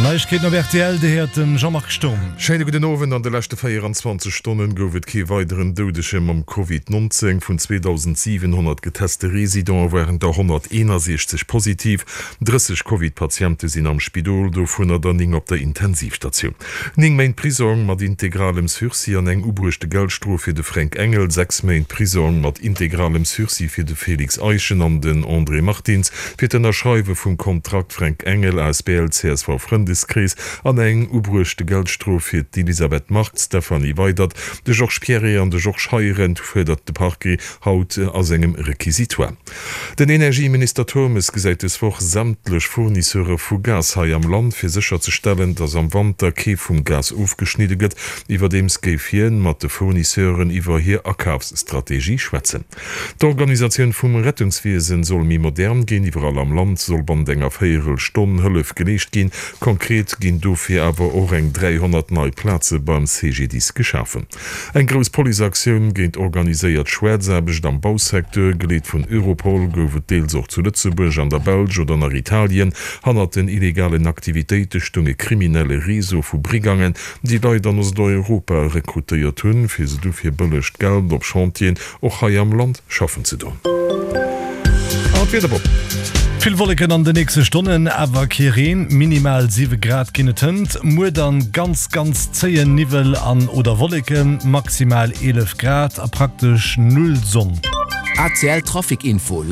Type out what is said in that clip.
Neiegkeeten op rtl, déi héiert de Jean-Marc Sturm. Schéine gudden Owend. An de leschte 24 Stonnen gouf et kee weideren Doudege mam Covid 19. Vun 2.700 geteste Residente waren der 161 positiv. 30 Covid-Patiente sinn am Spidol, dovunner der 9 op der Intensivstatioun. 9 Méint Prisong mat integralem Sursis an eng ubruechte Geldstrof fir de Fränk Engel, 6 Méint Prisong mat integralem Sursis fir de Félix Eischen an den André Martins fir d'Ënnerschreiwe vum Kontrakt Fränk Engel asbl csv Frëndeskrees an eng ubruechte Geldstrof fir d'Elisabeth Margue, d'Stéphanie Weydert, de Georges Pierret an de Georges Heirendt, fuerdert de Parquet haut a sengem Requisitoire. Den Energieminister Turmes gesäit des Woch sämtlech Fournisseure vu Gas hei am Land, fir sécherzestellen, datt am Wanter kee vum Gas ofgeschnidde gëtt. Iwwerdeems géif hien mat de Fournisseuren iwwer hir Akafsstrategie schwätzen. D'Organisatioun vum Rettungswiesen soll méi modern ginn. Iwwerall am Land soll bannent enger Véierelstonn Hëllef geleescht ginn. Konkret ginn dofir awer och eng 300 nei Plaze beim CGDIS geschafen. Eng grouss Policeaktioun géint organiséiert Schwaarzaarbecht am Bausecteur, geleet vun Europol, gouf et deels och zu Lëtzebuerg, an der Belsch oder nach Italien. Hannert den illegalen Aktivitéite stoung e kriminelle Réseau vu Brigangen, déi Leit an Osteuropa rekrutéiert hunn, fir se du fir bëllegt Geld op Chantieren och hei am Land schaffen ze doen. An d'Wieder Bob. Vill Wolleken an de nächste Stonnen, awer kee Reen. Minimal 7 Grad ginn et hënt. Muer dann ganz ganz zéien Niwwel an oder Wolleken, maximal 11 Grad a praktesch null Sonn. ACL Trafic Info.